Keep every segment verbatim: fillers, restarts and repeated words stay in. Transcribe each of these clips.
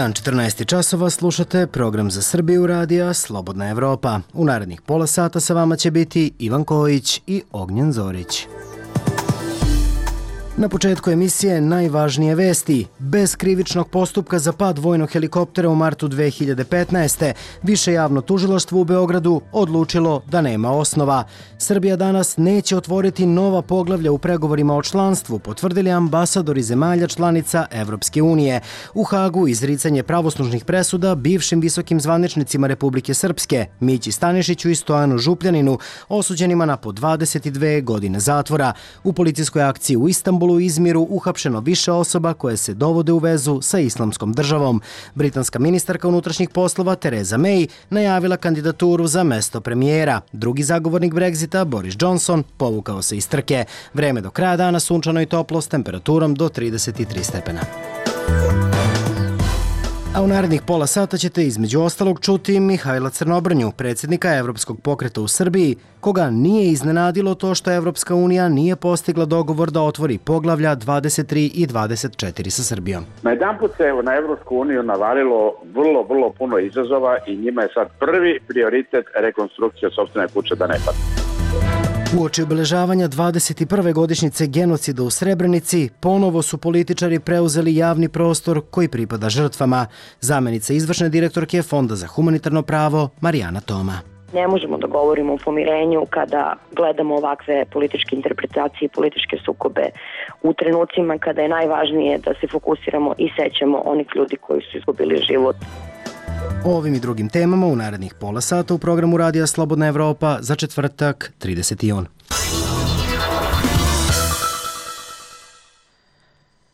dan četrnaest časova, slušate program za Srbiju radija Slobodna Evropa. U narednih pola sata sa vama će biti Ivan Kojić i Ognjen Zorić. Na početku emisije najvažnije vesti. Bez krivičnog postupka za pad vojnog helikoptera u martu dve hiljade petnaeste. Više javno tužilaštvo u Beogradu odlučilo da nema osnova. Srbija danas neće otvoriti nova poglavlja u pregovorima o članstvu, potvrdili ambasadori zemalja članica Evropske unije. U Hagu izricanje pravosnažnih presuda bivšim visokim zvaničnicima Republike Srpske, Mići Stanišiću i Stojanu Župljaninu, osuđenima na po dvadeset dve godine zatvora. U policijskoj akciji u Istanbulu u Izmiru uhapšeno više osoba koje se dovode u vezu sa islamskom državom. Britanska ministarka unutrašnjih poslova Theresa May najavila kandidaturu za mesto premijera. Drugi zagovornik Brexita, Boris Johnson, povukao se iz trke. Vreme do kraja dana sunčano i toplo s temperaturom do trideset tri stepena. A u narednih pola sata ćete između ostalog čuti Mihajla Crnobrnju, predsjednika Evropskog pokreta u Srbiji, koga nije iznenadilo to što Evropska unija nije postigla dogovor da otvori poglavlja dvadeset tri i dvadeset četiri sa Srbijom. Na jedan put se na Evropsku uniju navalilo vrlo, vrlo puno izazova i njima je sad prvi prioritet rekonstrukcija sopstvene kuće da ne padne. Uoči obeležavanja dvadeset prve godišnjice genocida u Srebrenici, ponovo su političari preuzeli javni prostor koji pripada žrtvama. Zamenica izvršne direktorke Fonda za humanitarno pravo Marijana Toma. Ne možemo da govorimo o pomirenju kada gledamo ovakve političke interpretacije i političke sukobe u trenucima kada je najvažnije da se fokusiramo i sećamo onih ljudi koji su izgubili život. O ovim i drugim temama u narednih pola sata u programu Radija Slobodna Evropa za četvrtak trideseti jun.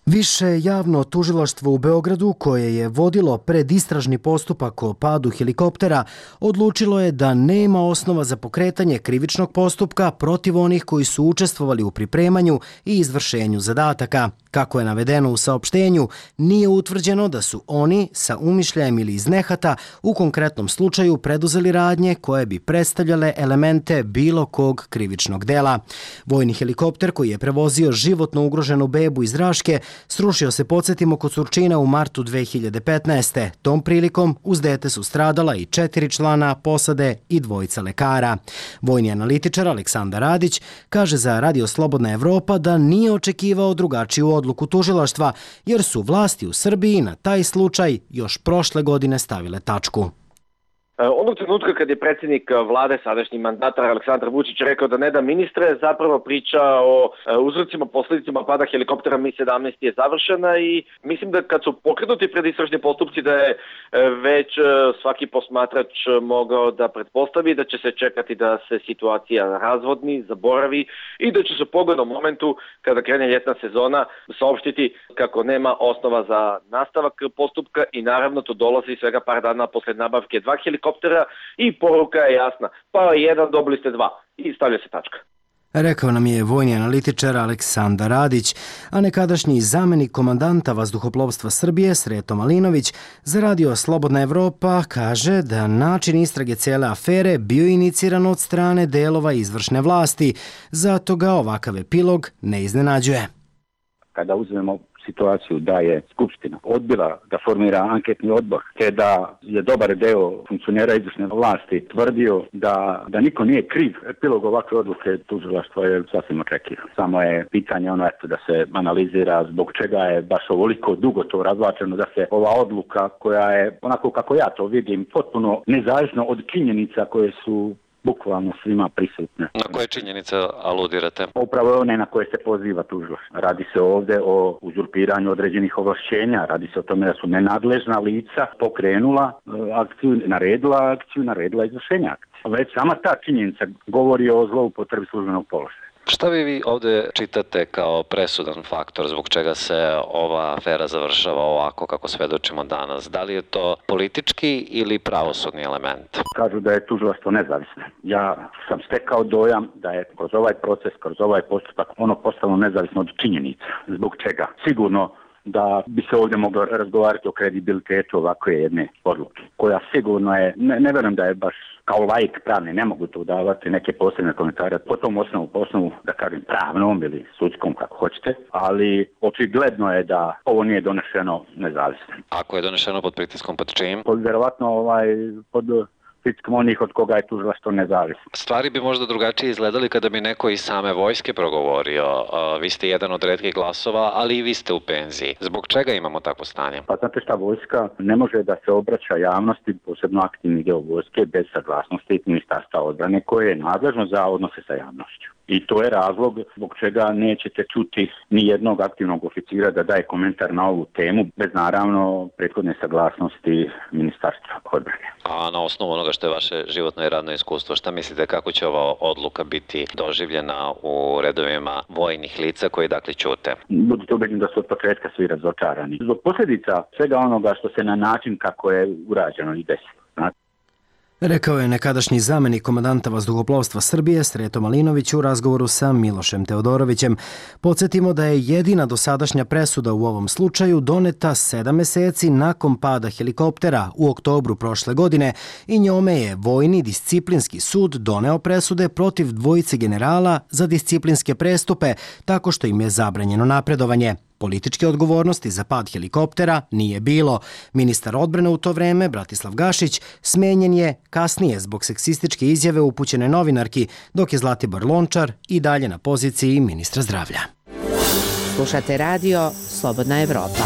Više javno tužilaštvo u Beogradu, koje je vodilo predistražni postupak o padu helikoptera, odlučilo je da nema osnova za pokretanje krivičnog postupka protiv onih koji su učestvovali u pripremanju i izvršenju zadataka. Kako je navedeno u saopštenju, nije utvrđeno da su oni sa umišljajem ili iz nehata u konkretnom slučaju preduzeli radnje koje bi predstavljale elemente bilo kog krivičnog dela. Vojni helikopter koji je prevozio životno ugroženu bebu iz Raške srušio se, podsjetimo, kod Surčina u martu dve hiljade petnaeste. Tom prilikom uz dete su stradala i četiri člana posade i dvojica lekara. Vojni analitičar Aleksandar Radić kaže za Radio Slobodna Evropa da nije očekivao drugačiju odluku tužilaštva, jer su vlasti u Srbiji na taj slučaj još prošle godine stavile tačku. Onog trenutka kad je predsjednik vlade, sadašnji mandatar Aleksandar Vučić rekao da ne da ministre, zapravo priča o uzrocima, posljedicama pada helikoptera Mi sedamnaest je završena i mislim da kad su pokrenuti predistražni postupci da je već svaki posmatrač mogao da pretpostavi da će se čekati da se situacija razvodni, zaboravi i da će se u pogodnom momentu kada krene ljetna sezona saopštiti kako nema osnova za nastavak postupka i naravno to dolazi svega par dana posle nabavke dva helikoptera i poruka je jasna. Pa jedan, dobili ste dva i stavlja se tačka. Rekao nam je vojni analitičar Aleksandar Radić, a nekadašnji zamenik komandanta vazduhoplovstva Srbije Sreto Malinović za Radio Slobodna Evropa kaže da način istrage cijele afere bio iniciran od strane delova izvršne vlasti, zato ga ovakav epilog ne iznenađuje. Kada uzmemo situaciju da je Skupština odbila da formira anketni odbor, te da je dobar deo funkcionera izvršne vlasti tvrdio da, da niko nije kriv, epilog ovakve odluke tužilaštva je sasvim očekivan. Samo je pitanje ono eto da se analizira zbog čega je baš ovoliko dugo to razvlačeno, da se ova odluka koja je, onako kako ja to vidim, potpuno nezavisno od činjenica koje su bukvalno svima prisutne. Na koje činjenice aludirate? Upravo one na koje se poziva tužilaštvo. Radi se ovdje o uzurpiranju određenih ovlašćenja, radi se o tome da su nenadležna lica pokrenula akciju, naredila akciju, naredila izvršenja akcije. Već sama ta činjenica govori o zloupotrebi službenog položaja. Šta vi vi ovdje čitate kao presudan faktor zbog čega se ova afera završava ovako kako svedočimo danas? Da li je to politički ili pravosudni element? Kažu da je tužilaštvo nezavisno. Ja sam stekao dojam da je kroz ovaj proces, kroz ovaj postupak ono postalo nezavisno od činjenica. Zbog čega? Sigurno da bi se ovdje moglo razgovarati o kredibilitetu ovakve jedne odluke, koja sigurno je, ne, ne verujem da je baš kao laik pravni, ne mogu tu davati neke posebne komentare po tom osnovu, po osnovu, da kažem, pravnom ili sudskom, kako hoćete, ali očigledno je da ovo nije donešeno nezavisno. Ako je donešeno pod pritiskom, pod čim? Pod, verovatno, ovaj, pod pritiskom onih od koga je tužilaštvo nezavisno. Stvari bi možda drugačije izgledali kada bi neko iz same vojske progovorio. Vi ste jedan od retkih glasova, ali i vi ste u penziji. Zbog čega imamo takvo stanje? Pa znate šta, vojska ne može da se obraća javnosti, posebno aktivni deo vojske, bez saglasnosti Ministarstva odbrane koje je nadležno za odnose sa javnošću. I to je razlog zbog čega nećete čuti ni jednog aktivnog oficira da daje komentar na ovu temu, bez naravno prethodne saglasnosti Ministarstva odbrane. A na osnovu onoga što je vaše životno i radno iskustvo, šta mislite kako će ova odluka biti doživljena u redovima vojnih lica koji dakle ćute? Budite ubeđeni da su od početka svi razočarani. Zbog posljedica svega onoga što se na način kako je urađeno i desilo. Rekao je nekadašnji zamenik komandanta vazduhoplovstva Srbije Sreto Malinović u razgovoru sa Milošem Teodorovićem. Podsjetimo da je jedina dosadašnja presuda u ovom slučaju doneta sedam meseci nakon pada helikoptera u oktobru prošle godine i njome je Vojni disciplinski sud doneo presude protiv dvojice generala za disciplinske prestupe tako što im je zabranjeno napredovanje. Političke odgovornosti za pad helikoptera nije bilo. Ministar odbrane u to vreme, Bratislav Gašić, smenjen je kasnije zbog seksističke izjave upućene novinarki, dok je Zlatibor Lončar i dalje na poziciji ministra zdravlja. Slušate radio Slobodna Evropa.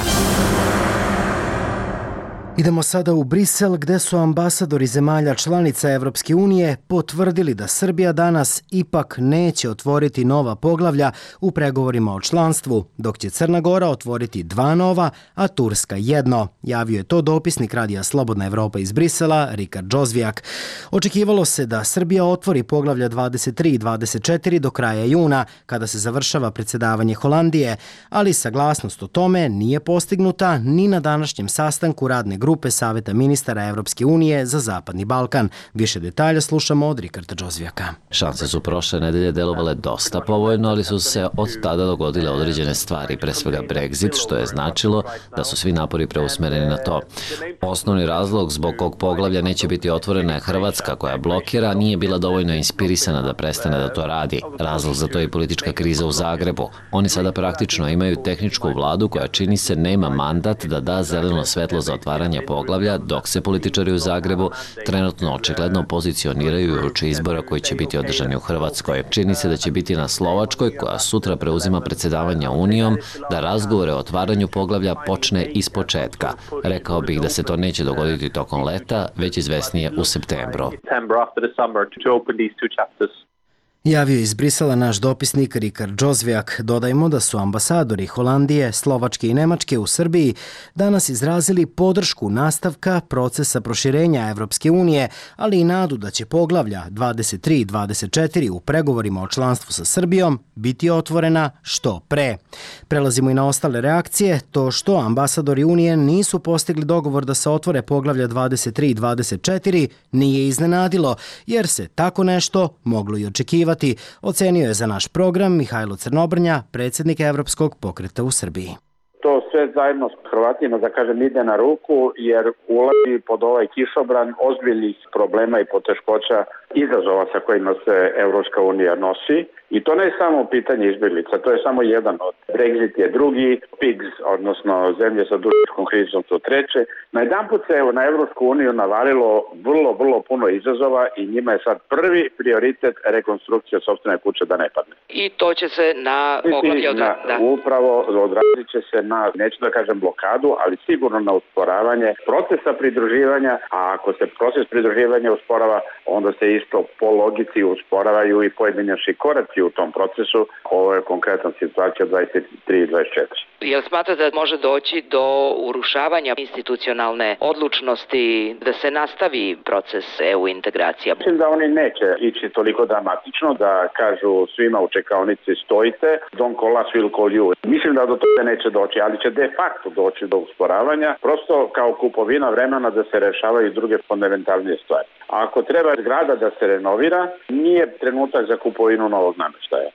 Idemo sada u Brisel gde su ambasadori zemalja članica Evropske unije potvrdili da Srbija danas ipak neće otvoriti nova poglavlja u pregovorima o članstvu, dok će Crna Gora otvoriti dva nova, a Turska jedno. Javio je to dopisnik radija Slobodna Evropa iz Brisela, Rikard Džozvijak. Očekivalo se da Srbija otvori poglavlja dvadeset tri i dvadeset četiri do kraja juna, kada se završava predsjedavanje Holandije, ali saglasnost o tome nije postignuta ni na današnjem sastanku radne grupe Saveta ministara Evropske unije za Zapadni Balkan. Više detalja slušamo od Rikarda Džozvijaka. Šanse su prošle nedelje delovale dosta povoljno, ali su se od tada dogodile određene stvari, pre svega Brexit, što je značilo da su svi napori preusmereni na to. Osnovni razlog zbog kog poglavlja neće biti otvorena je Hrvatska, koja blokira, nije bila dovoljno inspirisana da prestane da to radi. Razlog za to je politička kriza u Zagrebu. Oni sada praktično imaju tehničku vladu koja čini se nema mandat da da zeleno svetlo za otvaranje poglavlja, dok se političari u Zagrebu trenutno očigledno pozicioniraju uoči izbora koji će biti održani u Hrvatskoj. Čini se da će biti na Slovačkoj, koja sutra preuzima predsjedavanja Unijom, da razgovore o otvaranju poglavlja počne iz početka. Rekao bih da se to neće dogoditi tokom leta, već izvesnije u septembru. Javio iz Brisela naš dopisnik Rikard Džozvijak. Dodajmo da su ambasadori Holandije, Slovačke i Nemačke u Srbiji danas izrazili podršku nastavka procesa proširenja Evropske unije, ali i nadu da će poglavlja dvadeset tri i dvadeset četiri u pregovorima o članstvu sa Srbijom biti otvorena što pre. Prelazimo i na ostale reakcije. To što ambasadori Unije nisu postigli dogovor da se otvore poglavlja dvadeset tri i dvadeset četiri nije iznenadilo, jer se tako nešto moglo i očekivati. Ocenio je za naš program Mihajlo Crnobrnja, predsjednik Evropskog pokreta u Srbiji. To sve zajedno s Hrvatima, da kažem, ide na ruku, jer ulazi pod ovaj kišobran ozbiljnih problema i poteškoća, izazova sa kojima se Evropska unija nosi. I to ne je samo pitanje izbjeglica, to je samo jedan od. Brexit je drugi, P I G S, odnosno zemlje sa dužničkom krizom, su treće. Najedanput se evo, na Evropsku uniju navalilo vrlo, vrlo puno izazova i njima je sad prvi prioritet rekonstrukcija sopstvene kuće da ne padne. I to će se na poglavlje odraziti. Da. Upravo odrazit će se na, neću da kažem blokadu, ali sigurno na usporavanje procesa pridruživanja, a ako se proces pridruživanja usporava, onda se isto po logici usporavaju i pojedinačni koraci u tom procesu. Ovo je konkretna situacija dvadeset tri i dvadeset četiri. Jel smatrate da može doći do urušavanja institucionalne odlučnosti da se nastavi proces E U integracija? Mislim da oni neće ići toliko dramatično, da kažu svima u čekaonici stojite, don't call us, we'll call you. Mislim da do toga neće doći, ali će de facto doći do usporavanja, prosto kao kupovina vremena da se rešavaju druge fundamentalnije stvari. A ako treba zgrada da se renovira, nije trenutak za kupovinu novog namještaja.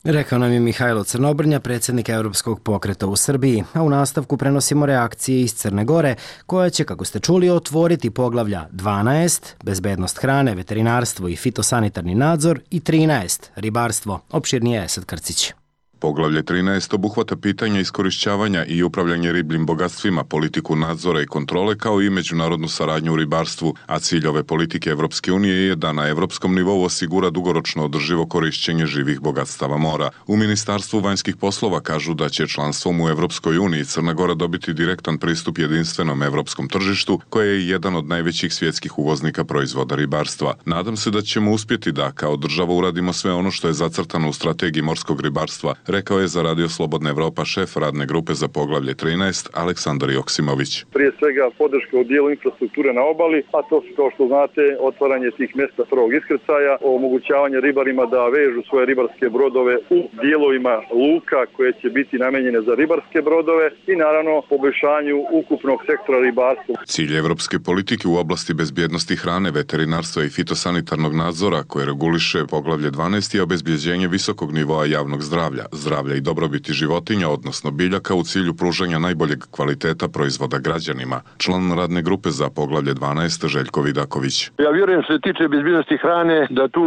Rekao nam je Mihajlo Crnobrnja, predsjednik Europskog pokreta u Srbiji, a u nastavku prenosimo reakcije iz Crne Gore, koja će, kako ste čuli, otvoriti poglavlja dvanaest, bezbednost hrane, veterinarstvo i fitosanitarni nadzor, i trinaest, ribarstvo. Opširnije je Esad Krcić. Poglavlje trinaest obuhvata pitanja iskorišćavanja i upravljanje ribljim bogatstvima, politiku nadzora i kontrole, kao i međunarodnu saradnju u ribarstvu, a cilj ove politike Evropske unije je da na evropskom nivou osigura dugoročno održivo korišćenje živih bogatstava mora. U Ministarstvu vanjskih poslova kažu da će članstvom u Evropskoj uniji Crna Gora dobiti direktan pristup jedinstvenom evropskom tržištu, koje je jedan od najvećih svjetskih uvoznika proizvoda ribarstva. Nadam se da ćemo uspjeti da kao država uradimo sve ono što je zacrtano u strategiji morskog ribarstva, rekao je za Radio Slobodna Evropa šef radne grupe za poglavlje trinaest Aleksandar Joksimović. Prije svega podrška u dijelu infrastrukture na obali, a to su, kao što znate, otvaranje tih mjesta prvog iskrcaja, omogućavanje ribarima da vežu svoje ribarske brodove u dijelovima luka koje će biti namenjene za ribarske brodove i naravno poboljšanju ukupnog sektora ribarstva. Cilj evropske politike u oblasti bezbjednosti hrane, veterinarstva i fitosanitarnog nadzora, koje reguliše poglavlje dvanaest, je obezbjeđenje visokog nivoa javnog zdravlja, zdravlja i dobrobiti životinja, odnosno biljaka, u cilju pružanja najboljeg kvaliteta proizvoda građanima. Član radne grupe za poglavlje dvanaest Željko Vidaković. Ja vjerujem što se tiče bezbjednosti hrane da tu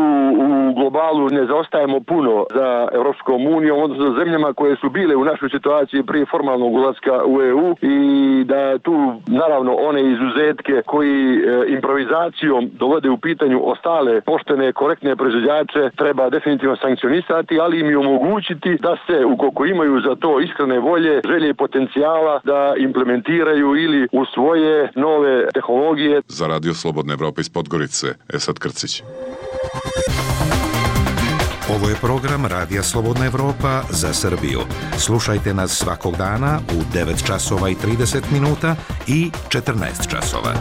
u globalu ne zaostajemo puno za Evropskom unijom, odnosno zemljama koje su bile u našoj situaciji prije formalnog ulaska u E U, i da tu naravno one izuzetke koji e, improvizacijom dovode u pitanju ostale poštene, korektne proizvođače treba definitivno sankcionisati, ali im i omogućiti da se, ukoliko imaju za to iskrene volje, želje i potencijala, da implementiraju ili u svoje nove tehnologije. Za Radio Slobodna Evropa iz Podgorice, Esad Krcić. Ovo je program Radija Slobodna Evropa za Srbiju. Slušajte nas svakog dana u devet časova i trideset minuta i četrnaest časova.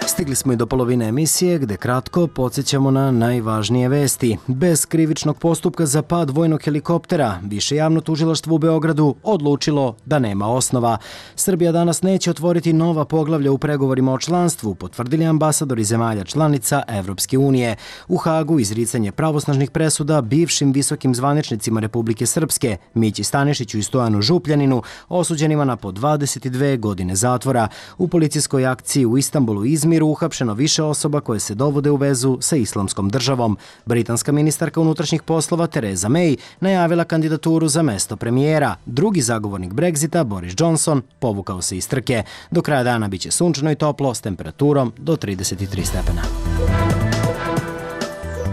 Stigli smo i do polovine emisije, gde kratko podsjećamo na najvažnije vesti. Bez krivičnog postupka za pad vojnog helikoptera, Više javno tužilaštvo u Beogradu odlučilo da nema osnova. Srbija danas neće otvoriti nova poglavlja u pregovorima o članstvu, potvrdili ambasadori zemalja članica Evropske unije. U Hagu izricanje pravosnažnih presuda bivšim visokim zvaničnicima Republike Srpske, Mići Stanišiću i Stojanu Župljaninu, osuđenima na po dvadeset dve godine zatvora. U policijskoj akciji u Istanbulu i Izmiru uhapšeno više osoba koje se dovode u vezu sa islamskom državom. Britanska ministarka unutrašnjih poslova Theresa May najavila kandidaturu za mesto premijera. Drugi zagovornik Brexita, Boris Johnson, povukao se iz trke. Do kraja dana biće sunčano i toplo s temperaturom do trideset tri stepena.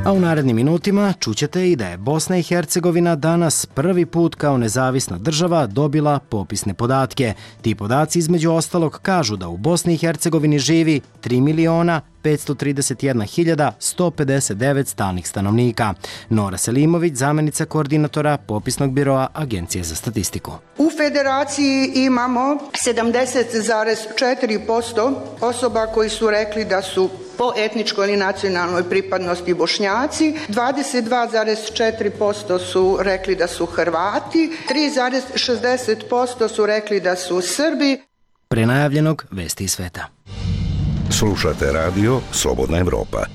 A u narednim minutima čućete i da je Bosna i Hercegovina danas prvi put kao nezavisna država dobila popisne podatke. Ti podaci između ostalog kažu da u Bosni i Hercegovini živi tri miliona petsto trideset jedna hiljada sto pedeset devet stalnih stanovnika. Nora Selimović, zamjenica koordinatora Popisnog biroa Agencije za statistiku. U federaciji imamo sedamdeset zarez četiri posto osoba koji su rekli da su po etničkoj ili nacionalnoj pripadnosti Bošnjaci, dvadeset dva zarez četiri posto su rekli da su Hrvati, tri zarez šezdeset posto su rekli da su Srbi. Pre najavljenog vesti iz sveta. Slušate radio Slobodna Evropa.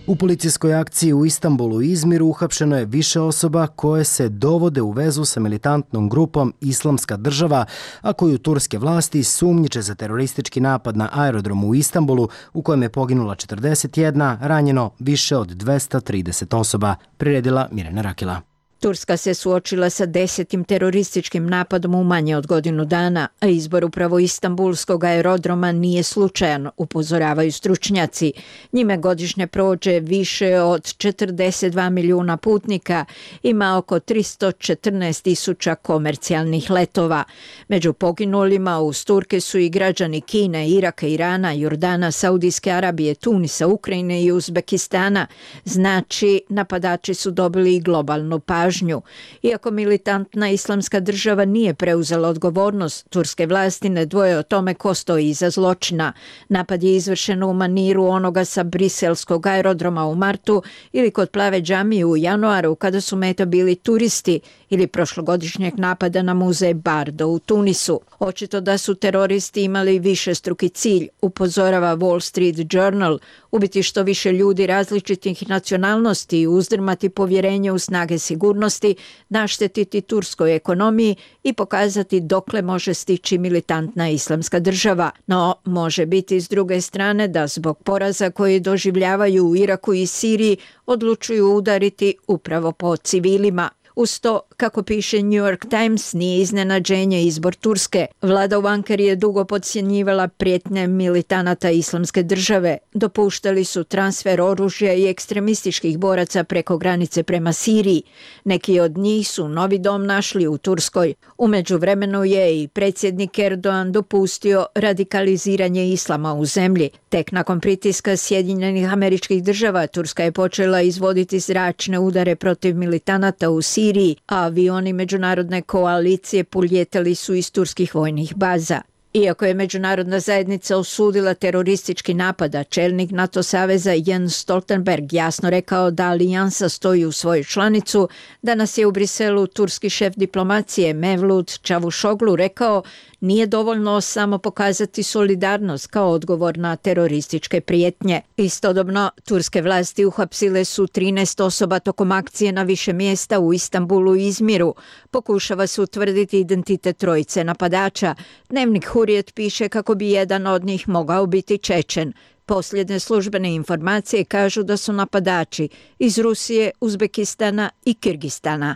U policijskoj akciji u Istanbulu i Izmiru uhapšeno je više osoba koje se dovode u vezu sa militantnom grupom Islamska država, a koju turske vlasti sumnjiče za teroristički napad na aerodromu u Istanbulu, u kojem je poginula četrdeset jedna, ranjeno više od dvesta trideset osoba, priredila Mirjana Rakila. Turska se suočila sa desetim terorističkim napadom u manje od godinu dana, a izbor upravo Istanbulskog aerodroma nije slučajan, upozoravaju stručnjaci. Njime godišnje prođe više od četrdeset dva milijuna putnika, ima oko tristo četrnaest tisuća komercijalnih letova. Među poginulima uz Turke su i građani Kine, Iraka, Irana, Jordana, Saudijske Arabije, Tunisa, Ukrajine i Uzbekistana. Znači, napadači su dobili i globalnu pažnju. pažnju. Iako militantna islamska država nije preuzela odgovornost, turske vlasti ne dvoje o tome ko stoji iza zločina. Napad je izvršen u maniru onoga sa briselskog aerodroma u martu ili kod Plave džamije u januaru kada su meta bili turisti ili prošlogodišnjeg napada na muzej Bardo u Tunisu. Očito da su teroristi imali višestruki cilj, upozorava Wall Street Journal, ubiti što više ljudi različitih nacionalnosti i uzdrmati povjerenje u snage sigurnosti, naštetiti turskoj ekonomiji i pokazati dokle može stići militantna islamska država. No, može biti s druge strane da zbog poraza koji doživljavaju u Iraku i Siriji odlučuju udariti upravo po civilima. Uz to, kako piše New York Times, nije iznenađenje izbor Turske. Vlada u Ankari je dugo podcjenjivala prijetnje militanata islamske države. Dopuštali su transfer oružja i ekstremističkih boraca preko granice prema Siriji. Neki od njih su novi dom našli u Turskoj. U međuvremenu je i predsjednik Erdogan dopustio radikaliziranje islama u zemlji. Tek nakon pritiska Sjedinjenih Američkih Država, Turska je počela izvoditi zračne udare protiv militanata u Siriji, a avioni međunarodne koalicije puljetali su iz turskih vojnih baza. Iako je međunarodna zajednica osudila teroristički napad, a čelnik NATO saveza Jens Stoltenberg jasno rekao da alijansa stoji u svoju članicu, danas je u Briselu turski šef diplomacije Mevlut Čavuşoglu rekao: nije dovoljno samo pokazati solidarnost kao odgovor na terorističke prijetnje. Istodobno, turske vlasti uhapsile su trinaest osoba tokom akcije na više mjesta u Istanbulu i Izmiru. Pokušava se utvrditi identitet trojice napadača. Dnevnik Hurriyet piše kako bi jedan od njih mogao biti Čečen. Posljednje službene informacije kažu da su napadači iz Rusije, Uzbekistana i Kirgistana.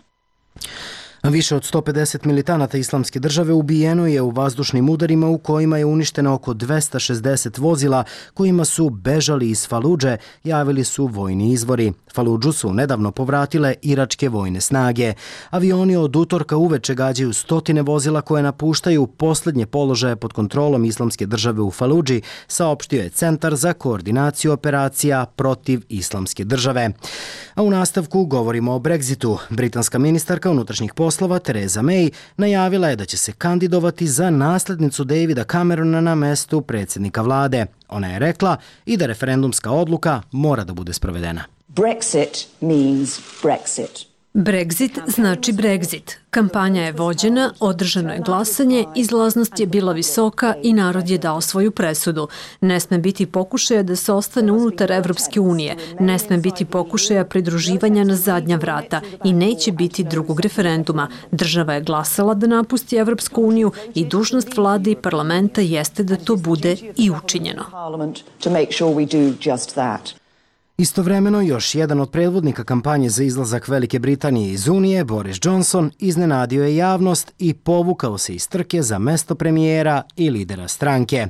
Više od sto pedeset militanata islamske države ubijeno je u vazdušnim udarima u kojima je uništeno oko dvesta šezdeset vozila kojima su bežali iz Faludže, javili su vojni izvori. Faludžu su nedavno povratile iračke vojne snage. Avioni od utorka uveče gađaju stotine vozila koje napuštaju posljednje položaje pod kontrolom islamske države u Faludži, saopštio je Centar za koordinaciju operacija protiv islamske države. A u nastavku govorimo o Brexitu. Britanska ministarka unutrašnjih poslova Theresa May najavila je da će se kandidovati za naslednicu Davida Camerona na mestu predsjednika vlade. Ona je rekla i da referendumska odluka mora da bude sprovedena. Brexit means Brexit. Brexit znači Brexit. Kampanja je vođena, održano je glasanje, izlaznost je bila visoka i narod je dao svoju presudu. Ne sme biti pokušaja da se ostane unutar Evropske unije, ne sme biti pokušaja pridruživanja na zadnja vrata i neće biti drugog referenduma. Država je glasala da napusti Evropsku uniju i dužnost vlade i parlamenta jeste da to bude i učinjeno. Istovremeno, još jedan od predvodnika kampanje za izlazak Velike Britanije iz Unije, Boris Johnson, iznenadio je javnost i povukao se iz trke za mesto premijera i lidera stranke.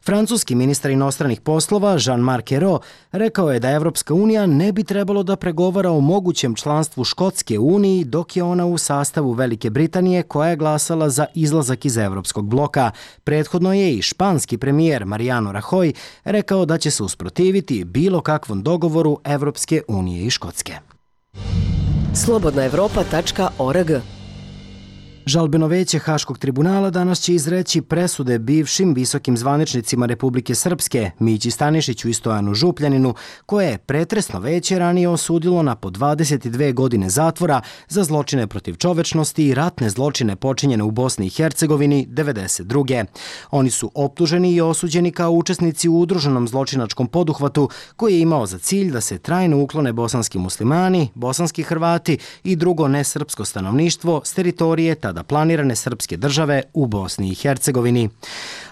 Francuski ministar inostranih poslova Jean-Marc Ayrault rekao je da Evropska unija ne bi trebalo da pregovara o mogućem članstvu Škotske u Uniji dok je ona u sastavu Velike Britanije koja je glasala za izlazak iz Evropskog bloka. Prethodno je i španski premijer Mariano Rajoy rekao da će se usprotiviti bilo kakvom dogovoru Evropske unije i Škotske. slobodna evropa tačka org. Žalbeno veće Haškog tribunala danas će izreći presude bivšim visokim zvaničnicima Republike Srpske, Mići Stanišiću i Stojanu Župljaninu, koje je pretresno veće ranije osudilo na po dvadeset dve godine zatvora za zločine protiv čovečnosti i ratne zločine počinjene u Bosni i Hercegovini devedeset druge. Oni su optuženi i osuđeni kao učesnici u udruženom zločinačkom poduhvatu koji je imao za cilj da se trajno uklone bosanski muslimani, bosanski Hrvati i drugo nesrpsko stanovništvo s teritorije tada planirane srpske države u Bosni i Hercegovini.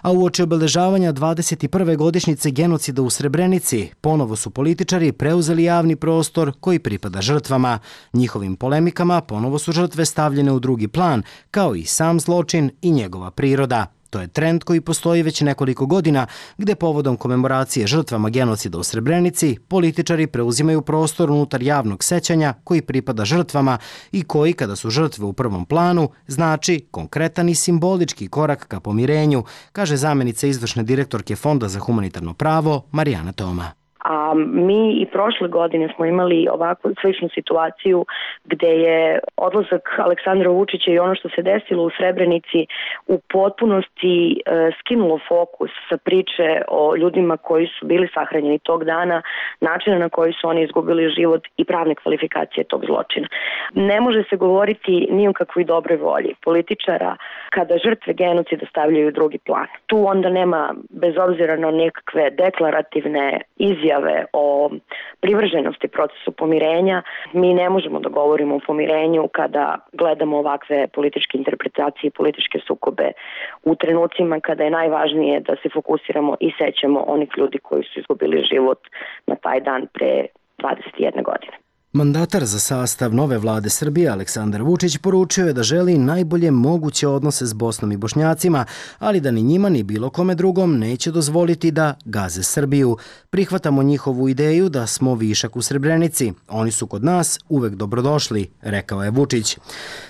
A uoči obeležavanja dvadeset prve godišnjice genocida u Srebrenici, ponovo su političari preuzeli javni prostor koji pripada žrtvama. Njihovim polemikama ponovo su žrtve stavljene u drugi plan, kao i sam zločin i njegova priroda. To je trend koji postoji već nekoliko godina, gde povodom komemoracije žrtvama genocida u Srebrenici političari preuzimaju prostor unutar javnog sećanja koji pripada žrtvama i koji, kada su žrtve u prvom planu, znači konkretan i simbolički korak ka pomirenju, kaže zamenica izvršne direktorke Fonda za humanitarno pravo Marijana Toma. A A mi i prošle godine smo imali ovakvu sličnu situaciju gde je odlazak Aleksandra Vučića i ono što se desilo u Srebrenici u potpunosti e, skinulo fokus sa priče o ljudima koji su bili sahranjeni tog dana, načina na koji su oni izgubili život i pravne kvalifikacije tog zločina. Ne može se govoriti ni o kakvoj dobroj volji političara kada žrtve genocida stavljaju u drugi plan. Tu onda nema, bez obzira na nekakve deklarativne izjave o privrženosti procesu pomirenja, mi ne možemo da govorimo o pomirenju kada gledamo ovakve političke interpretacije i političke sukobe u trenucima kada je najvažnije da se fokusiramo i sećamo onih ljudi koji su izgubili život na taj dan pre dvadeset jedne godine. Mandatar za sastav nove vlade Srbije Aleksandar Vučić poručio je da želi najbolje moguće odnose s Bosnom i Bošnjacima, ali da ni njima ni bilo kome drugom neće dozvoliti da gaze Srbiju. Prihvatamo njihovu ideju da smo višak u Srebrenici. Oni su kod nas uvek dobrodošli, rekao je Vučić.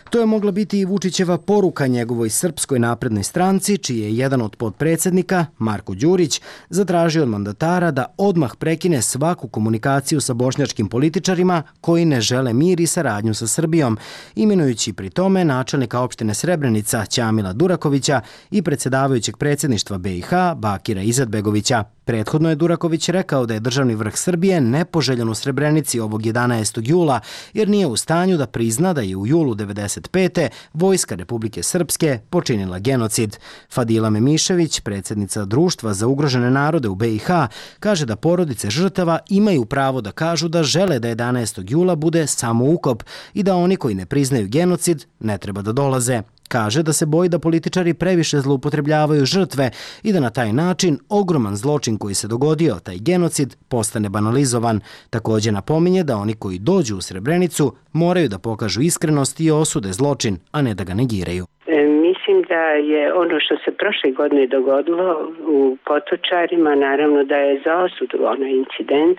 To je mogla biti i Vučićeva poruka njegovoj Srpskoj naprednoj stranci, čiji je jedan od potpredsednika, Marko Đurić, zatražio od mandatara da odmah prekine svaku komunikaciju sa bošnjačkim političarima koji ne žele mir i saradnju sa Srbijom, imenujući pri tome načelnika opštine Srebrenica Ćamila Durakovića i predsjedavajućeg predsjedništva be i ha Bakira Izetbegovića. Prethodno je Duraković rekao da je državni vrh Srbije nepoželjan u Srebrenici ovog jedanaestog jula, jer nije u stanju da prizna da je u julu devedeset pete Vojska Republike Srpske počinila genocid. Fadila Memišević, predsjednica Društva za ugrožene narode u be i ha, kaže da porodice žrtava imaju pravo da kažu da žele da jedanaestog jula bude samo ukop i da oni koji ne priznaju genocid ne treba da dolaze. Kaže da se boji da političari previše zloupotrebljavaju žrtve i da na taj način ogroman zločin koji se dogodio, taj genocid, postane banalizovan. Također napominje da oni koji dođu u Srebrenicu moraju da pokažu iskrenost i osude zločin, a ne da ga negiraju. E, mislim da je ono što se prošle godine dogodilo u Potočarima, naravno da je za osudu onaj incident,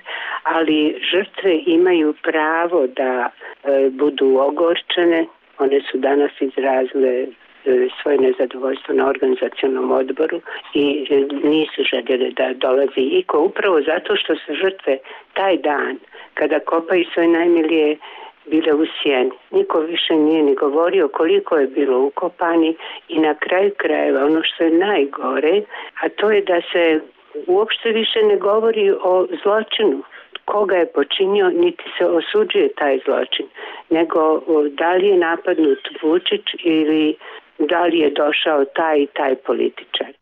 ali žrtve imaju pravo da e, budu ogorčene. One su danas izrazile svoje nezadovoljstvo na organizacionalnom odboru i nisu željeli da dolazi iko, upravo zato što su žrtve taj dan, kada kopaju svoje najmilije, bile u sjeni. Niko više nije ni govorio koliko je bilo ukopani i na kraju krajeva ono što je najgore, a to je da se uopšte više ne govori o zločinu. Koga je počinio, niti se osuđuje taj zločin, nego da li je napadnut Vučić ili da li je došao taj i taj političar.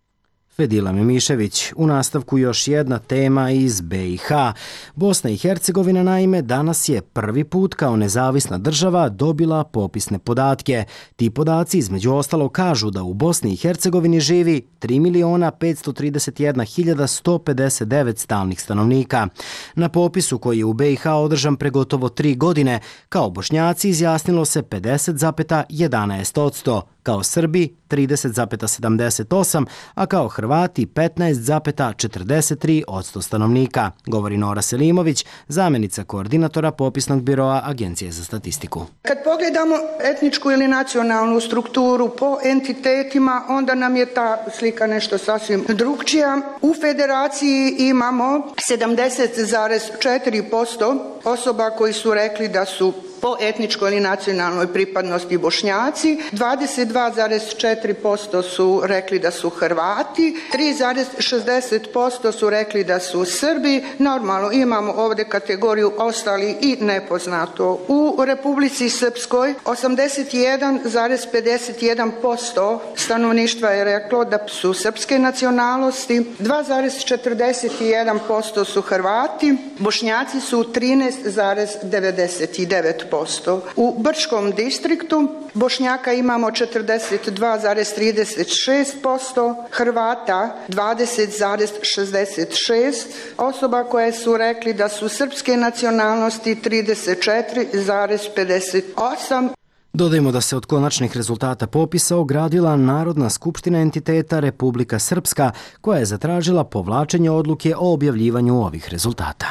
Fadila Memišević. U nastavku još jedna tema iz be i ha. Bosna i Hercegovina naime danas je prvi put kao nezavisna država dobila popisne podatke. Ti podaci između ostalo kažu da u Bosni i Hercegovini živi tri miliona petsto trideset jedna hiljada sto pedeset devet stalnih stanovnika. Na popisu koji je u be i ha održan pre gotovo tri godine, kao Bošnjaci izjasnilo se pedeset zarez jedanaest posto, kao Srbi trideset zarez sedamdeset osam, a kao Hrvati petnaest zarez četrdeset tri posto stanovnika, govori Nora Selimović, zamjenica koordinatora popisnog biroa Agencije za statistiku. Kad pogledamo etničku ili nacionalnu strukturu po entitetima, onda nam je ta slika nešto sasvim drugčija. U federaciji imamo sedamdeset zarez četiri posto osoba koji su rekli da su po etničkoj ili nacionalnoj pripadnosti Bošnjaci, dvadeset dva zarez četiri posto su rekli da su Hrvati, tri zarez šezdeset posto su rekli da su Srbi. Normalno imamo ovdje kategoriju ostali i nepoznato. U Republici Srpskoj osamdeset jedan zarez pedeset jedan posto stanovništva je reklo da su srpske nacionalnosti, dva zarez četrdeset jedan posto su Hrvati, Bošnjaci su trinaest zarez devedeset devet posto. U Brčkom distriktu Bošnjaka imamo četrdeset dva zarez trideset šest posto, Hrvata dvadeset zarez šezdeset šest, osoba koje su rekli da su srpske nacionalnosti trideset četiri zarez pedeset osam. Dodajmo da se od konačnih rezultata popisa ogradila Narodna skupština entiteta Republika Srpska, koja je zatražila povlačenje odluke o objavljivanju ovih rezultata.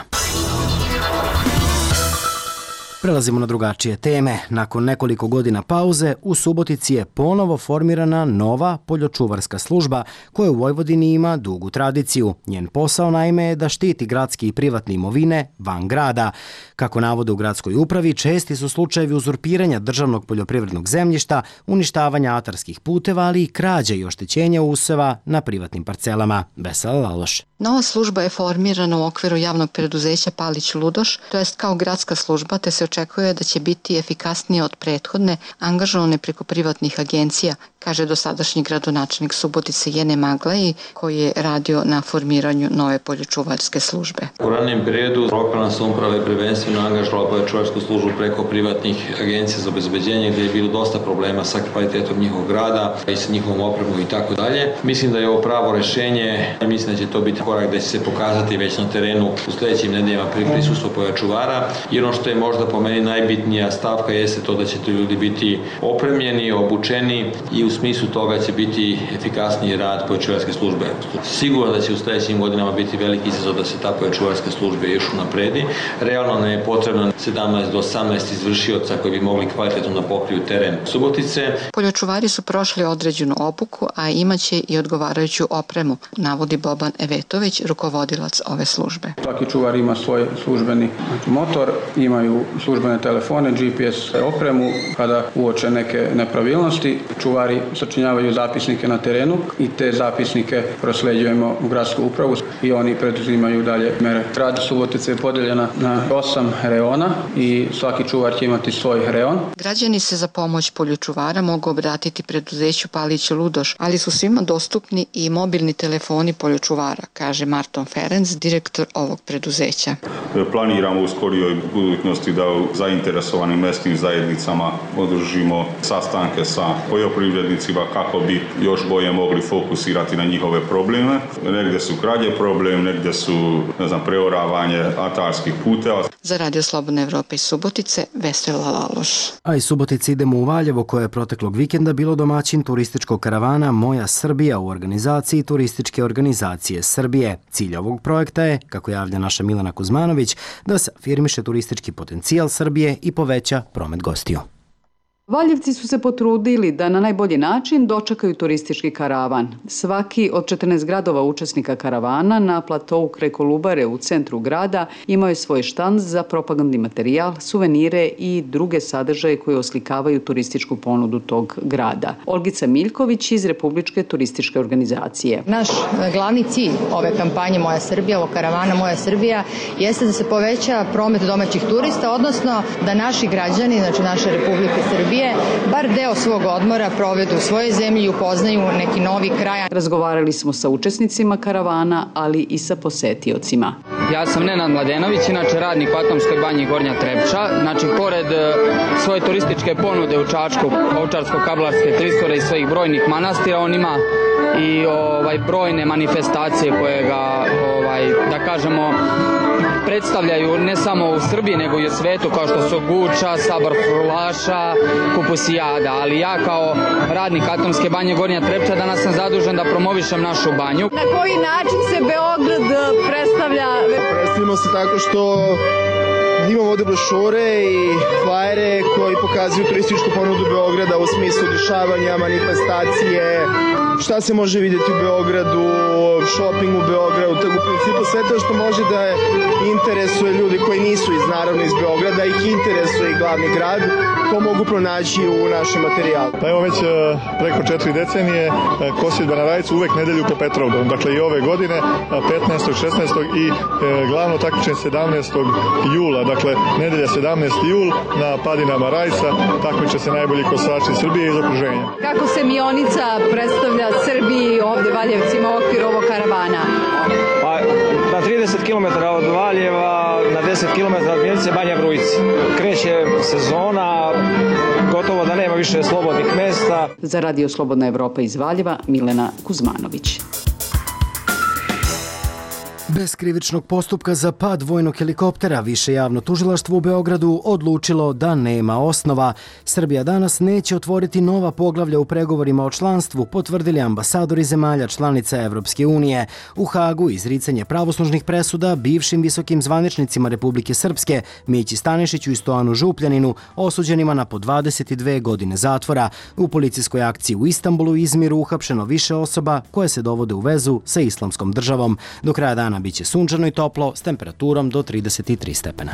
Prelazimo na drugačije teme. Nakon nekoliko godina pauze, u Subotici je ponovo formirana nova poljočuvarska služba koja u Vojvodini ima dugu tradiciju. Njen posao naime je da štiti gradske i privatne imovine van grada. Kako navode u gradskoj upravi, česti su slučajevi uzurpiranja državnog poljoprivrednog zemljišta, uništavanja atarskih puteva, ali i krađe i oštećenja useva na privatnim parcelama. Vesela Laloš. Nova služba je formirana u okviru javnog preduzeća Palić Ludoš, to jest kao gradska služba, te se očekuje da će biti efikasnije od prethodne, angažovane preko privatnih agencija, kaže dosadašnji gradonačelnik Subotice Jene Maglaji, koji je radio na formiranju nove poljočuvarske službe. U ranijem periodu lokalna samouprava je prvenstveno angažovala poljočuvarsku službu preko privatnih agencija za obezbeđenje, gdje je bilo dosta problema sa kvalitetom njihovog rada i sa njihovom opremom i tako dalje. Mislim da je ovo pravo rešenje i mislim da će to biti korak da će se pokazati već na terenu u sljedećim nedeljama pri prisustvu poljočuvara. I ono što je možda po meni najbitnija stavka jeste to da će ti ljudi biti opremljeni, obučeni i u smislu toga će biti efikasniji rad poljočuvarske službe. Sigurno da će u sljedećim godinama biti veliki izazov da se ta poljočuvarska služba još unapredi. Realno nam je potrebno sedamnaest do osamnaest izvršioca koji bi mogli kvalitetno da pokriju teren Subotice. Poljočuvari su prošli određenu obuku, a imaće i odgovarajuću opremu, navodi Boban Evetović, rukovodilac ove službe. Svaki čuvar ima svoj službeni motor, imaju službene telefone, G P S opremu. Kada uoče neke nepravilnosti, čuvari sačinjavaju zapisnike na terenu i te zapisnike prosleđujemo u gradsku upravu i oni preduzimaju dalje mere. Grad Subotice je podijeljena na osam reona i svaki čuvar će imati svoj reon. Građani se za pomoć poljočuvara mogu obratiti preduzeću Palić Ludoš, ali su svima dostupni i mobilni telefoni poljočuvara, kaže Marton Ferenc, direktor ovog preduzeća. Planiramo u skorijoj budućnosti da u zainteresovanim mestnim zajednicama održimo sastanke sa poljoprivrednicima kako bi još bolje mogli fokusirati na njihove probleme. Negdje su krađe problem, negdje su, ne znam, preoravanje atarskih puteva. Za Radio Slobodne Evrope iz Subotice, Vesela Laloš. A iz Subotice idemo u Valjevo, koje je proteklog vikenda bilo domaćin turističkog karavana Moja Srbija u organizaciji Turističke organizacije Srbije. Cilj ovog projekta je, kako javlja naša Milena Kuzmanović, da se afirmiše turistički potencijal Srbije i poveća promet gostiju. Valjevci su se potrudili da na najbolji način dočekaju turistički karavan. Svaki od četrnaest gradova učesnika karavana na platovu kraj Kolubare u centru grada imao je svoj štand za propagandni materijal, suvenire i druge sadržaje koje oslikavaju turističku ponudu tog grada. Olgica Miljković iz Republičke turističke organizacije. Naš glavni cilj ove kampanje Moja Srbija, ovog karavana Moja Srbija, jeste da se poveća promet domaćih turista, odnosno da naši građani, znači naše Republike Srbije, bar deo svog odmora provedu u svojoj zemlji i upoznaju neki novi kraj. Razgovarali smo sa učesnicima karavana, ali i sa posetiocima. Ja sam Nenad Mladenović, inače radnik u Atomskoj banji Gornja Trepča. Znači, pored svoje turističke ponude u Čačku, Ovčarsko-Kablarske klisure i svojih brojnih manastira, on ima i ovaj, brojne manifestacije koje ga, ovaj, da kažemo, predstavljaju ne samo u Srbiji nego i u svetu, kao što su Guča, Sabor Frulaša, Kupusijada, ali ja kao radnik Atomske banje Gornja Trepča danas sam zadužen da promovišem našu banju. Na koji način se Beograd predstavlja? Predstavljamo se tako što imamo ovde brošure i flajere koji pokazuju turističku ponudu Beograda u smislu dešavanja, manifestacije, šta se može vidjeti u Beogradu, shopping u Beogradu, tako u principu sve to što može da interesuje ljudi koji nisu iz, naravno iz Beograda, ih interesuje i glavni grad, to mogu pronaći u našem materijalu. Pa evo već preko četiri decenije Kosidba na Rajcu uvek nedelju po Petrovdanu, dakle i ove godine petnaestog, šesnaestog i glavno takmičenje sedamnaestog jula, dakle nedelja sedamnaesti jul na padinama Rajca takmiče se najbolji kosači Srbije iz okruženja. Kako se Mionica predstavlja Srbiji ovde Valjevcima u okviru ovog karavana? Pa na trideset kilometara od Valjeva, na deset kilometara od Mjenice Banja Vrujici. Kreće sezona, gotovo da nema više slobodnih mesta. Za Radio Slobodna Evropa iz Valjeva, Milena Kuzmanović. Bez krivičnog postupka za pad vojnog helikoptera više javno tužilaštvo u Beogradu odlučilo da nema osnova. Srbija danas neće otvoriti nova poglavlja u pregovorima o članstvu, potvrdili ambasadori zemalja članica Evropske unije. U Hagu izricanje pravosnažnih presuda bivšim visokim zvaničnicima Republike Srpske, Mići Stanišiću i Stojanu Župljaninu, osuđenima na po dvadeset dve godine zatvora. U policijskoj akciji u Istanbulu i Izmiru uhapšeno više osoba koje se dovode u vezu sa Islamskom državom. Do kraja dana biće sunčano i toplo s temperaturom do trideset tri stepena.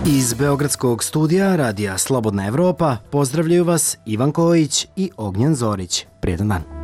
Iz Beogradskog studija Radija Slobodna Evropa pozdravljaju vas Ivan Kojić i Ognjen Zorić. Prijetan dan.